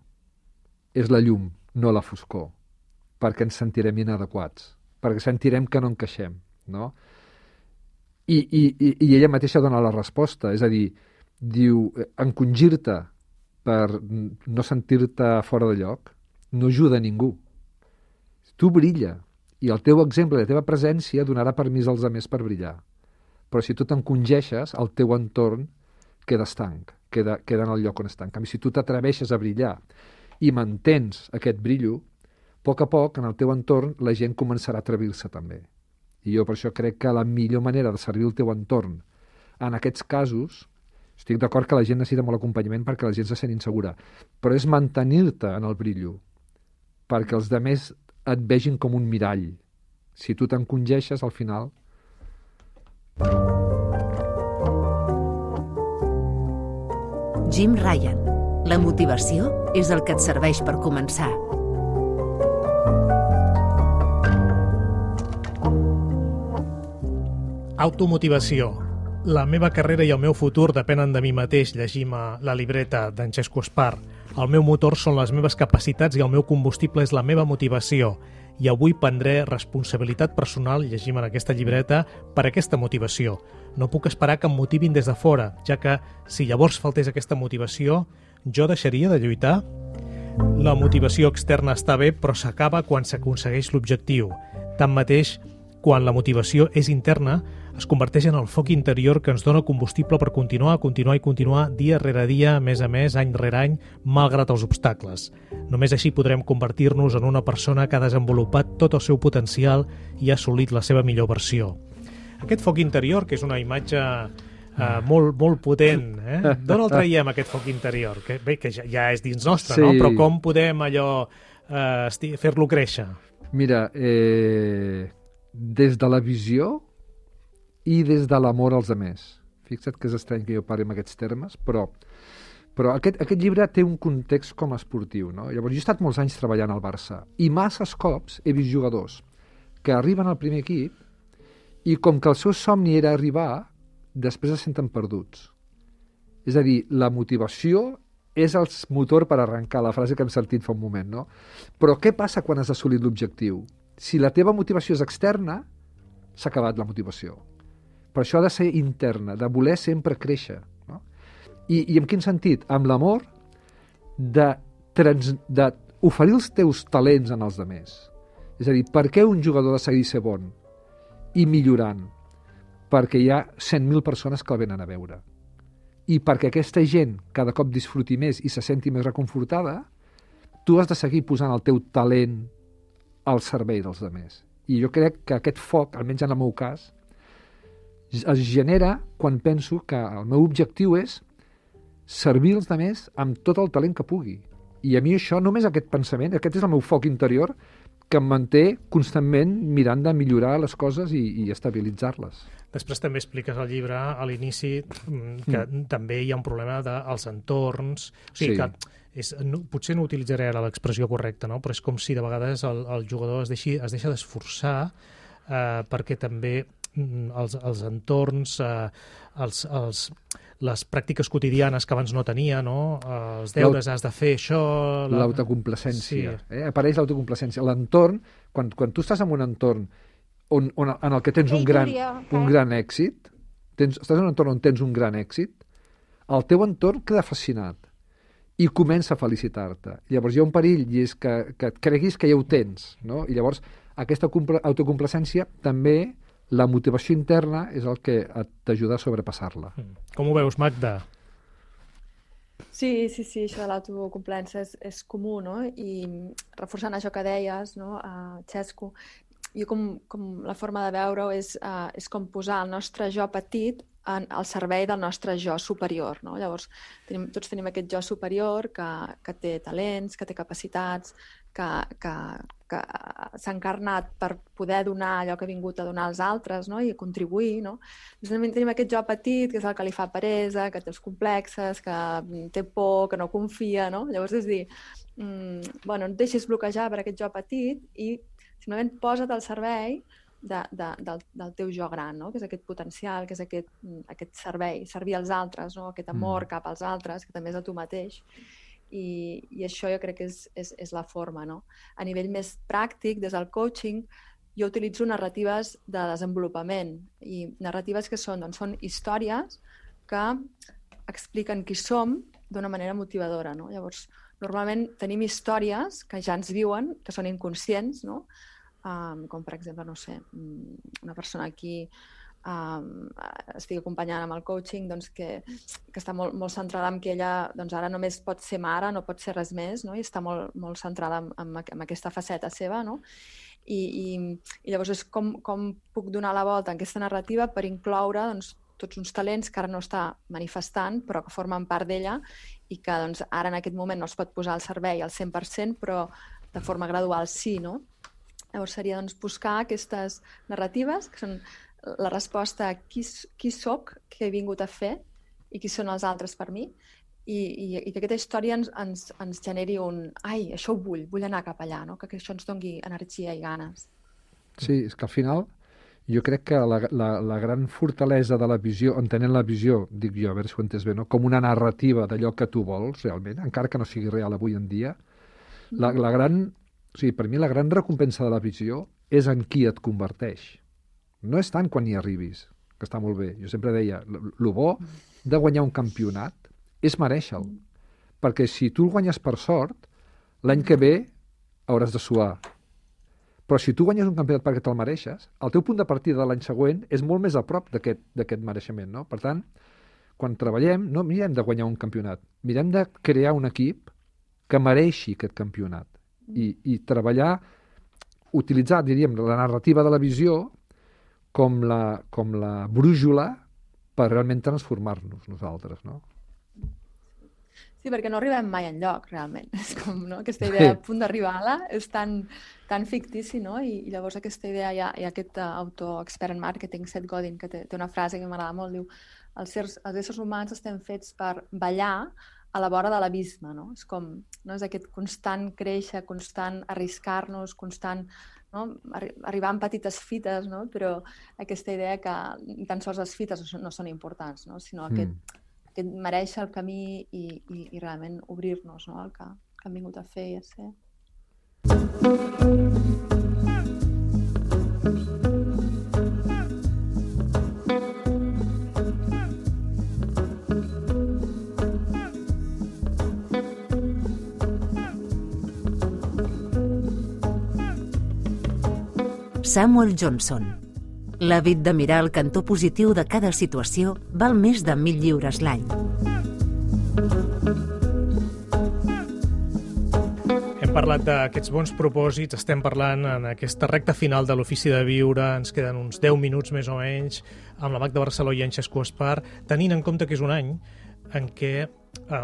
Speaker 5: és la llum, no la foscor, perquè ens sentirem inadequats, perquè sentirem que no encaixem, no? I ella mateixa dona la resposta, és a dir, diu, encongir-te per no sentir-te fora de lloc no ajuda a ningú. Tu brilla, i el teu exemple, la teva presència donarà permís als altres per brillar. Però si tu t'encongeixes, el teu entorn queda estanc, queda en el lloc on està. En canvi, si tu t'atreveixes a brillar i mantens aquest brillo, a poc, en el teu entorn, la gent començarà a atrevir-se també. I jo per això crec que la millor manera de servir el teu entorn en aquests casos, estic d'acord que la gent necessita molt acompanyament perquè la gent se sent insegura, però és mantenir-te en el brillo, perquè els altres et vegin com un mirall. Si tu t'encongeixes, al final...
Speaker 3: Jim Ryan. La motivació és el que et serveix per començar.
Speaker 2: Automotivació. La meva carrera i el meu futur depenen de mi mateix, llegim a la libreta d'en Xesco Espar. El meu motor són les meves capacitats i el meu combustible és la meva motivació. I avui prendré responsabilitat personal, llegim en aquesta llibreta, per aquesta motivació. No puc esperar que em motivin des de fora, ja que si llavors faltés aquesta motivació, jo deixaria de lluitar? La motivació externa està bé, però s'acaba quan s'aconsegueix l'objectiu. Tanmateix, quan la motivació és interna, es converteix en el foc interior que ens dona combustible per continuar dia rere dia, mes a mes, any rere any, malgrat els obstacles. Només així podrem convertir-nos en una persona que ha desenvolupat tot el seu potencial i ha assolit la seva millor versió. Aquest foc interior, que és una imatge molt potent, d'on el traiem, aquest foc interior? Que ja és dins nostre, sí. No? Però com podem allò fer-lo créixer?
Speaker 5: Mira, des de la visió i des de l'amor als altres. Fixa't que és estrany que jo parli en aquests termes, però aquest llibre té un context com a esportiu, no? Llavors, jo he estat molts anys treballant al Barça i masses cops he vist jugadors que arriben al primer equip i com que el seu somni era arribar, després es senten perduts. És a dir, la motivació és el motor per arrencar, la frase que hem sentit fa un moment, no? Però què passa quan has assolit l'objectiu? Si la teva motivació és externa, s'ha acabat la motivació. Però això ha de ser interna, de voler sempre créixer. No? I en quin sentit? Amb l'amor d'oferir els teus talents en els altres. És a dir, per què un jugador ha de seguir ser bon i millorant? Perquè hi ha 100.000 persones que el venen a veure. I perquè aquesta gent cada cop disfruti més i se senti més reconfortada, tu has de seguir posant el teu talent al servei dels altres. I jo crec que aquest foc, almenys en el meu cas, es genera quan penso que el meu objectiu és servir els altres amb tot el talent que pugui. I a mi això, només aquest pensament, aquest és el meu foc interior, que em manté constantment mirant de millorar les coses i estabilitzar-les.
Speaker 2: Després també expliques al llibre, a l'inici, que també hi ha un problema dels entorns. O sigui que potser no utilitzaré ara l'expressió correcta, no? Però és com si de vegades el jugador es deixa d'esforçar perquè també els entorns, les pràctiques quotidianes que abans no tenia, no? Els deures, has de fer això...
Speaker 5: L'autocomplacència. Apareix l'autocomplacència. L'entorn, quan tu estàs en un entorn en el que tens un gran èxit, estàs en un entorn on tens un gran èxit, el teu entorn queda fascinat i comença a felicitar-te. Llavors hi ha un perill, i és que et creguis que ja ho tens, no? I llavors aquesta autocomplacència també, la motivació interna és el que t'ajuda a sobrepassar-la.
Speaker 2: Com ho veus, Magda?
Speaker 6: Sí, això de l'autocomplaença és comú, no? I reforçant això que deies, no, Xesco, jo com la forma de veure-ho és com posar el nostre jo petit al servei del nostre jo superior, no? Llavors, tots tenim aquest jo superior que té talents, que té capacitats, que s'ha encarnat per poder donar allò que ha vingut a donar als altres, no? I contribuir, no? Llavors, tenim aquest jo petit, que és el que li fa peresa, que té els complexes, que té por, que no confia, no? Llavors, és dir, no et deixis bloquejar per aquest jo petit i simplement posa't al servei del teu jo gran, no? Que és aquest potencial, que és aquest servei, servir als altres, no? Aquest amor cap als altres, que també és a tu mateix. I això jo crec que és la forma, no? A nivell més pràctic, des del coaching, jo utilitzo narratives de desenvolupament, i narratives que són històries que expliquen qui som d'una manera motivadora, no? Llavors, normalment tenim històries que ja ens viuen, que són inconscients, no? Com per exemple, no sé, una persona aquí estic acompanyant amb el coaching, doncs, que està molt centrada en que ella ara només pot ser mare, no pot ser res més, no? I està molt centrada en aquesta faceta seva, no? I llavors és com puc donar la volta en aquesta narrativa per incloure tots uns talents que ara no està manifestant, però que formen part d'ella i que ara en aquest moment no es pot posar al servei al 100%, però de forma gradual sí, no? Llavors seria buscar aquestes narratives que són la resposta a qui soc, què he vingut a fer i qui són els altres per mi, i que aquesta història ens generi ai, això ho vull anar cap allà, no? Que això ens doni energia i ganes.
Speaker 5: Sí, és que al final jo crec que la gran fortalesa de la visió, entenent la visió, dic jo, a veure si ho entens bé, no? Com una narrativa d'allò que tu vols realment, encara que no sigui real avui en dia, per mi la gran recompensa de la visió és en qui et converteix. No és tant quan hi arribis, que està molt bé. Jo sempre deia, el bo de guanyar un campionat és merèixer-lo. Perquè si tu el guanyes per sort, l'any que ve hauràs de suar. Però si tu guanyes un campionat perquè te'l mereixes, el teu punt de partida de l'any següent és molt més a prop d'aquest mereixement, no? Per tant, quan treballem, no mirem de guanyar un campionat, mirem de crear un equip que mereixi aquest campionat. I treballar, utilitzar, diríem, la narrativa de la visió com la brújula per realment transformar-nos nosaltres, no?
Speaker 6: Sí, perquè no arribem mai enlloc, realment. És com, no? Aquesta idea a punt d'arribar-la és tan fictici, no? I llavors aquesta idea, hi ha aquest autor expert en màrqueting, Seth Godin, que té una frase que m'agrada molt, diu: els éssers humans estem fets per ballar a la vora de l'abisme, no? És com, no? És aquest constant créixer, constant arriscar-nos, constant, no? Arribar en petites fites, no? Però aquesta idea que tan sols les fites no són importants, no? Sinó aquest mereixer el camí i realment obrir-nos, no? El que hem vingut a fer i a ser.
Speaker 3: Samuel Johnson. L'hàbit de mirar el cantó positiu de cada situació val més de 1.000 lliures l'any.
Speaker 2: Hem parlat d'aquests bons propòsits, estem parlant en aquesta recta final de l'Ofici de Viure, ens queden uns 10 minuts més o menys, amb la Magda Barceló i en Xesco Espar, tenint en compte que és un any en què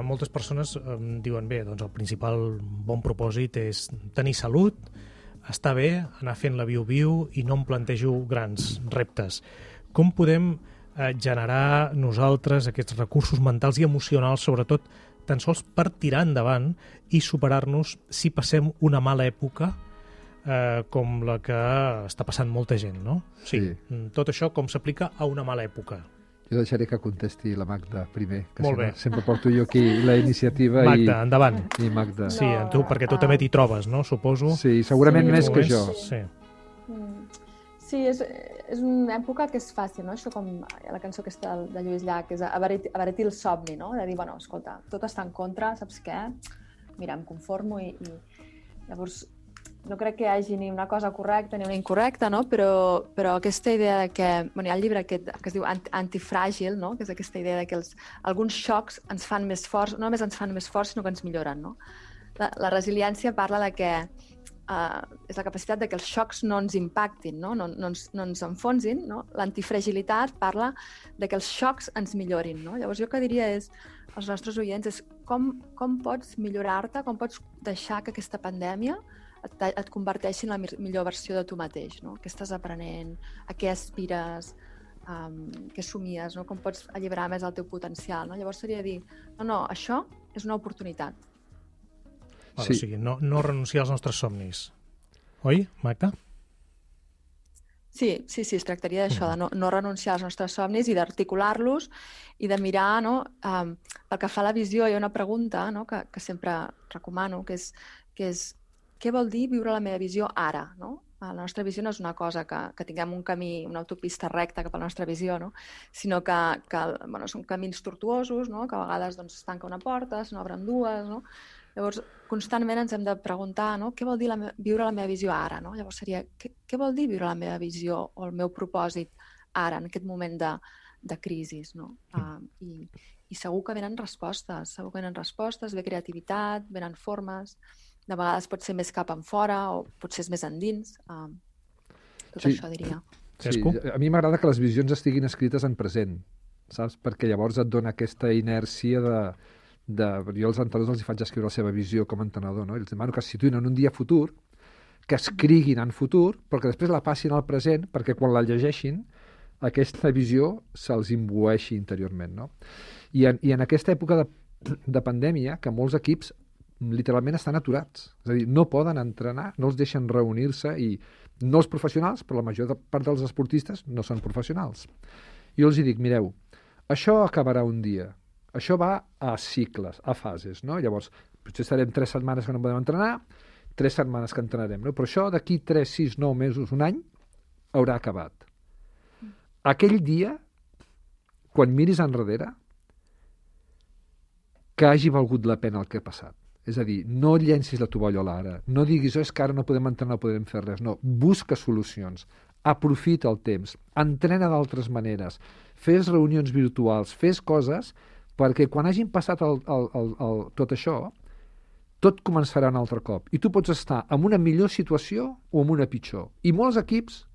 Speaker 2: moltes persones diuen, bé, doncs el principal bon propòsit és tenir salut, estar bé, anar fent la viu-viu i no em plantejo grans reptes. Com podem generar nosaltres aquests recursos mentals i emocionals, sobretot, tan sols per tirar endavant i superar-nos si passem una mala època com la que està passant molta gent, no? Sí. Tot això com s'aplica a una mala època.
Speaker 5: Jo deixaré que contesti la Magda primer, que
Speaker 2: Molt bé.
Speaker 5: sempre porto jo aquí la iniciativa.
Speaker 2: Magda, endavant.
Speaker 5: I Magda.
Speaker 2: Sí, tu, perquè tu també t'hi trobes, no? Suposo.
Speaker 5: Sí, segurament més que jo.
Speaker 2: Sí.
Speaker 6: Sí, és una època que és fàcil, no? Això com la cançó aquesta de Lluís Llach, que és abaretir el somni, no? De dir, bueno, escolta, tot està en contra, saps què? Mira, em conformo i llavors no crec que hi hagi ni una cosa correcta ni una incorrecta, no? Però aquesta idea de que... Bueno, hi ha el llibre aquest que es diu Antifràgil, no? Que és aquesta idea de que alguns xocs ens fan més forts, no només ens fan més forts, sinó que ens milloren, no? La resiliència parla de que és la capacitat de que els xocs no ens impactin, no ens enfonsin, no? L'antifragilitat parla de que els xocs ens millorin, no? Llavors jo el que diria als nostres oients és com pots millorar-te, com pots deixar que aquesta pandèmia et converteixi en la millor versió de tu mateix, no? Què estàs aprenent, a què aspires, què somies, no? Com pots alliberar més el teu potencial, no? Llavors seria dir, no, això és una oportunitat.
Speaker 2: Sí. O sigui, no renunciar als nostres somnis. Oi, Magda?
Speaker 6: Sí, es tractaria d'això, de no renunciar als nostres somnis i d'articular-los i de mirar, no? Pel que fa a la visió, hi ha una pregunta, no? que sempre recomano, que és què vol dir viure la meva visió ara, no? La nostra visió no és una cosa que tinguem un camí, una autopista recta cap a la nostra visió, no? Sinó que són camins tortuosos, no? Que a vegades doncs, es tanca una porta, se n'obren dues, no? Llavors, constantment ens hem de preguntar, no? Què vol dir viure la meva visió ara? No? Llavors seria, què vol dir viure la meva visió o el meu propòsit ara, en aquest moment de crisi? No? I segur que venen respostes, ve creativitat, venen formes, de vegades pot ser més cap enfora o potser és més endins. Tot això diria.
Speaker 5: Sí, a mi m'agrada que les visions estiguin escrites en present, saps? Perquè llavors et dona aquesta inèrcia jo als entrenadors els faig escriure la seva visió com a entrenador, no? Els demano que es situïn en un dia futur, que escriguin en futur, però que després la passin al present, perquè quan la llegeixin aquesta visió se'ls imbueixi interiorment, no? I en aquesta època de pandèmia, que molts equips literalment estan aturats, és a dir, no poden entrenar, no els deixen reunir-se, i no els professionals, però la major part dels esportistes no són professionals. Jo els dic, mireu, això acabarà un dia, això va a cicles, a fases, no? Llavors, potser estarem 3 setmanes que no podem entrenar, 3 setmanes que entrenarem, no? Però això d'aquí 3, 6, 9 mesos, un any, haurà acabat. Aquell dia, quan miris enrere, que hagi valgut la pena el que ha passat. És a dir, no llencis la tovallola ara, no diguis, és que ara no podem entrenar, no podem fer res, no, busca solucions, aprofita el temps, entrena d'altres maneres, fes reunions virtuals, fes coses, perquè quan hagin passat tot això, tot començarà un altre cop. I tu pots estar en una millor situació o en una pitjor. I molts equips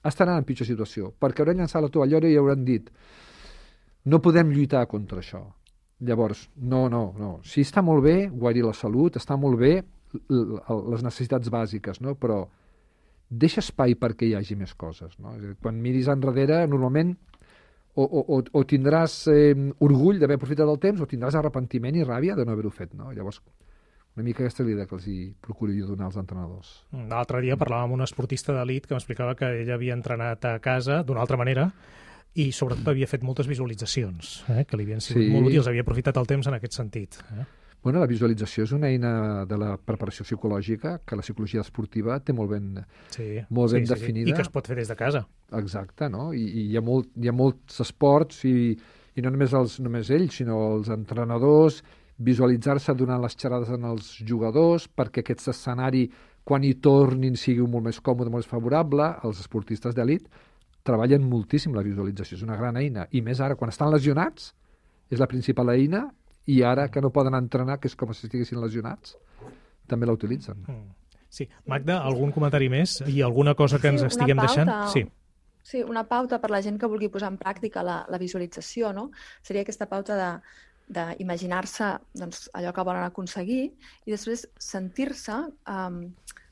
Speaker 5: estaran en pitjor situació, perquè hauran llançat la tovallola i hauran dit no podem lluitar contra això. Llavors, no. Sí, està molt bé guarir la salut, està molt bé les necessitats bàsiques, no? Però deixa espai perquè hi hagi més coses, no? Quan miris enrere, normalment o tindràs orgull d'haver aprofitat el temps o tindràs arrepentiment i ràbia de no haver-ho fet, no? Llavors, una mica aquesta idea que els procuro jo donar als entrenadors.
Speaker 2: L'altre dia parlàvem amb un esportista d'elit que m'explicava que ell havia entrenat a casa d'una altra manera i sobretot havia fet moltes visualitzacions, que li havien sigut molt útils, havia aprofitat el temps en aquest sentit.
Speaker 5: Bueno, la visualització és una eina de la preparació psicològica que la psicologia esportiva té molt ben definida.
Speaker 2: I que es pot fer des de casa.
Speaker 5: Exacte, no? I hi ha molts esports i no només ells, sinó els entrenadors, visualitzar-se donant les xerrades als jugadors perquè aquest escenari, quan hi tornin, sigui molt més còmode, molt més favorable. Els esportistes d'elit treballen moltíssim la visualització, és una gran eina. I més ara, quan estan lesionats, és la principal eina, i ara que no poden entrenar, que és com si estiguessin lesionats, també la utilitzen.
Speaker 2: Sí. Magda, algun comentari més? I alguna cosa que ens estiguem deixant?
Speaker 6: Sí, una pauta per la gent que vulgui posar en pràctica la visualització, no? Seria aquesta pauta de d'imaginar-se doncs, allò que volen aconseguir i després sentir-se,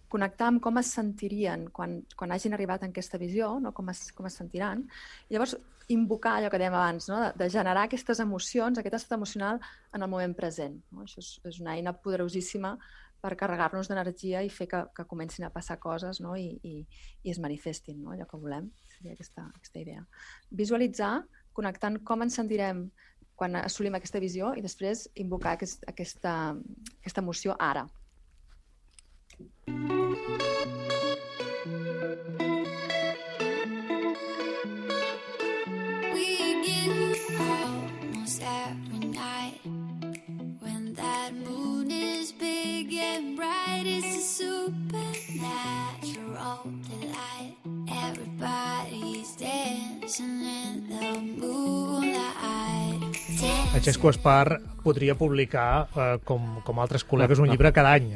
Speaker 6: connectar amb com es sentirien quan hagin arribat en aquesta visió, no? Com es sentiran. I llavors invocar allò que dèiem abans, no? de generar aquestes emocions, aquest estat emocional en el moment present. No? Això és una eina poderosíssima per carregar-nos d'energia i fer que comencin a passar coses, no? I es manifestin, no? Allò que volem. Seria aquesta idea. Visualitzar, connectant com ens sentirem quan assolim aquesta visió i després invocar aquesta emoció ara.
Speaker 7: We get almost every night when that moon is big and bright. It's a supernatural delight. Everybody's dancing in the moonlight.
Speaker 2: Francesco Espar podria publicar, com altres col·legues, un llibre cada any.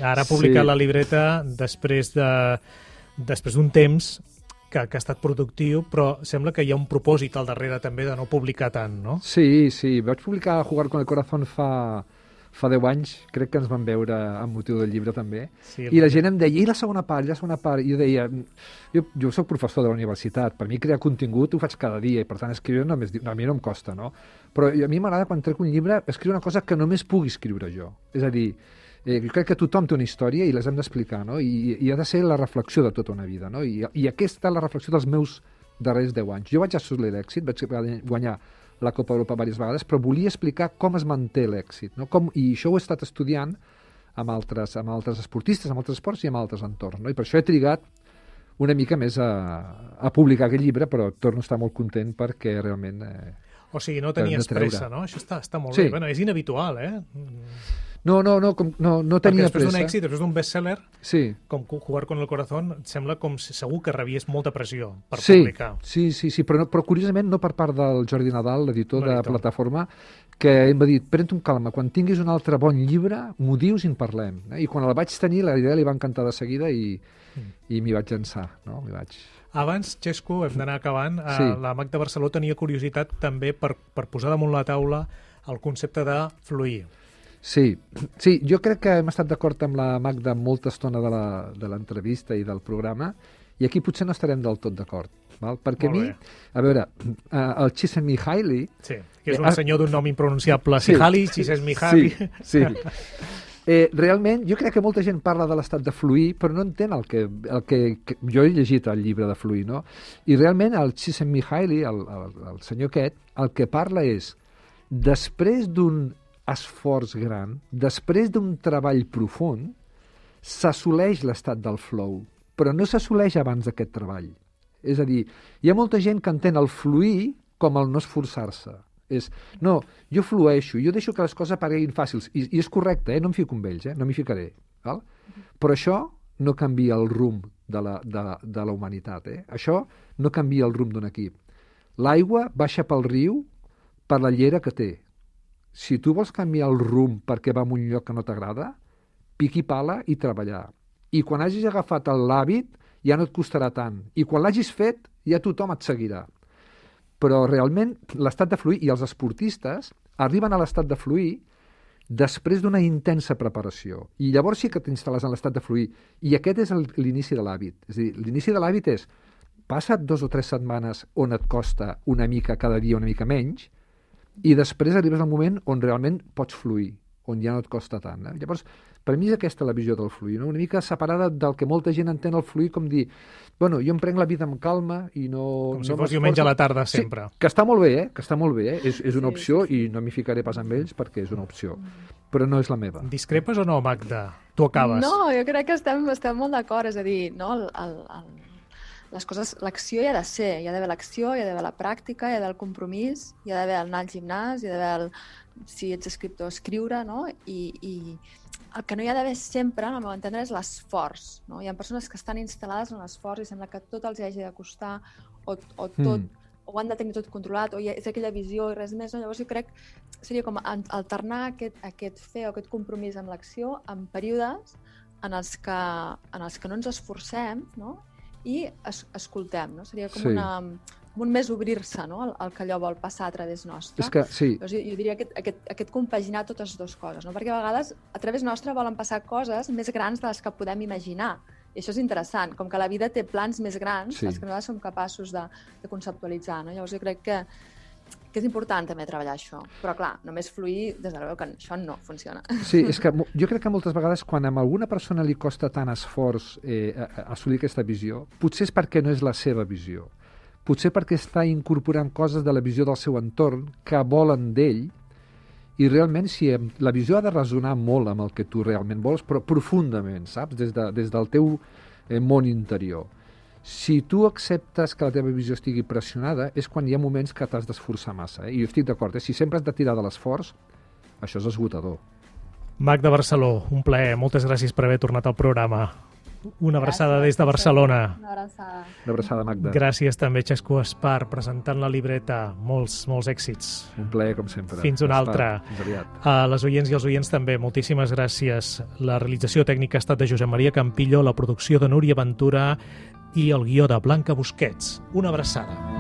Speaker 2: Ara ha publicat la libreta després d'un temps que ha estat productiu, però sembla que hi ha un propòsit al darrere també de no publicar tant, no?
Speaker 5: Sí. Vaig publicar Jugar con el corazón fa 10 anys, crec que ens van veure amb motiu del llibre també, i la gent em deia, i la segona part, i jo deia, jo soc professor de la universitat, per mi crear contingut ho faig cada dia, i per tant escriure a mi no em costa, no? Però a mi m'agrada quan trec un llibre escriure una cosa que només pugui escriure jo, és a dir, jo crec que tothom té una història i les hem d'explicar, no? I ha de ser la reflexió de tota una vida, no? I aquesta és la reflexió dels meus darrers 10 anys. Jo vaig assolir l'èxit, vaig guanyar la Copa Europa diverses vegades, però volia explicar com es manté l'èxit, no? I això ho he estat estudiant amb altres esportistes, amb altres esports i amb altres entorns, no? I per això he trigat una mica més a publicar aquest llibre, però torno a estar molt content perquè realment...
Speaker 2: O sigui, no tenies pressa, no? Això està molt bé. Bueno, és inhabitual,
Speaker 5: No tenia pressa.
Speaker 2: Perquè després d'un èxit, després d'un bestseller, com Jugar con el corazón, sembla com si segur que rebies molta pressió per publicar. Sí,
Speaker 5: però curiosament no per part del Jordi Nadal, l'editor de Plataforma, que em va dir, pren-te un calma, quan tinguis un altre bon llibre, m'ho dius i en parlem. I quan el vaig tenir, la idea li va encantar de seguida i m'hi vaig llançar. No?
Speaker 2: Abans, Xesco, hem d'anar acabant. La Magda Barceló tenia curiositat també per posar damunt la taula el concepte de fluir.
Speaker 5: Sí, jo crec que hem estat d'acord amb la Magda molta estona de l'entrevista i del programa, i aquí potser no estarem del tot d'acord. Perquè a mi, a veure, el Csikszentmihalyi...
Speaker 2: Sí, que és un senyor d'un nom impronunciable. Csikszentmihalyi.
Speaker 5: Sí. Realment, jo crec que molta gent parla de l'estat de fluir, però no entén el que jo he llegit el llibre de fluir, no? I realment el Csikszentmihalyi, el senyor aquest, el que parla és, després d'un esforç gran, després d'un treball profund, s'assoleix l'estat del flow, però no s'assoleix abans d'aquest treball. És a dir, hi ha molta gent que entén el fluir com el no esforçar-se. No, jo flueixo, jo deixo que les coses apareguin fàcils, i és correcte, no em fico amb ells, no m'hi ficaré. Val? Però això no canvia el rumb de la humanitat. Això no canvia el rumb d'un equip. L'aigua baixa pel riu per la llera que té. Si tu vols canviar el rumb perquè va a un lloc que no t'agrada, piqui pala i treballar. I quan hagis agafat l'hàbit, ja no et costarà tant. I quan l'hagis fet, ja tothom et seguirà. Però realment l'estat de fluir, i els esportistes arriben a l'estat de fluir després d'una intensa preparació. I llavors sí que t'instal·les en l'estat de fluir. I aquest és l'inici de l'hàbit. És a dir, l'inici de l'hàbit és passa't 2 o 3 setmanes on et costa una mica cada dia, una mica menys, i després arribes al moment on realment pots fluir, on ja no et costa tant. Llavors, per mi és aquesta la visió del fluir, no? Una mica separada del que molta gent entén el fluir com dir, bueno, jo em prenc la vida amb calma i no...
Speaker 2: Com si fos diumenge a la tarda, sempre.
Speaker 5: Sí, que està molt bé, és una opció i no m'hi ficaré pas amb ells perquè és una opció, però no és la meva.
Speaker 2: Discrepes o no, Magda? Tu acabes.
Speaker 6: No, jo crec que estem molt d'acord, és a dir, no, les coses, l'acció hi ha de ser, hi ha d'haver l'acció, hi ha d'haver la pràctica, hi ha d'haver el compromís, hi ha d'haver anar al gimnàs, hi ha d'haver, si ets escriptor, escriure, no? I el que no hi ha d'haver sempre, al meu entendre, és l'esforç, no? Hi ha persones que estan instal·lades en l'esforç i sembla que tot els hagi de costar o tot, o han de tenir tot controlat, o és aquella visió i res més, no? Llavors jo crec que seria com alternar aquest fer o aquest compromís amb l'acció en períodes en els que no ens esforcem, no? I escoltem, no? Seria com un més obrir-se, no? El que allò vol passar a través nostre.
Speaker 5: És que, sí.
Speaker 6: Llavors, jo diria aquest compaginar totes dues coses, no? Perquè a vegades a través nostre volen passar coses més grans de les que podem imaginar. I això és interessant, com que la vida té plans més grans,
Speaker 5: Sí.
Speaker 6: els que nosaltres som capaços de conceptualitzar, no? Llavors jo crec que és important també treballar això. Però clar, només fluir, des de que això no funciona.
Speaker 5: Sí, és que jo crec que moltes vegades quan a alguna persona li costa tant esforç assolir aquesta visió, potser és perquè no és la seva visió. Potser perquè està incorporant coses de la visió del seu entorn que volen d'ell, i realment si la visió ha de resonar molt amb el que tu realment vols, però profundament, saps? Des del teu món interior. Si tu acceptes que la teva visió estigui pressionada, és quan hi ha moments que t'has d'esforçar massa. I jo estic d'acord, si sempre has de tirar de l'esforç, això és esgotador.
Speaker 2: Magda Barceló, un plaer. Moltes gràcies per haver tornat al programa. Una abraçada des de Barcelona.
Speaker 6: Una abraçada.
Speaker 5: Una abraçada, Magda.
Speaker 2: Gràcies també, Xesco Espar, presentant la libreta. Molts èxits.
Speaker 5: Un plaer, com sempre.
Speaker 2: Fins una altra.
Speaker 5: Fins aviat.
Speaker 2: A les oients i els oients també, moltíssimes gràcies. La realització tècnica ha estat de Josep Maria Campillo, la producció de Núria Ventura i el guió de Blanca Busquets. Una abraçada.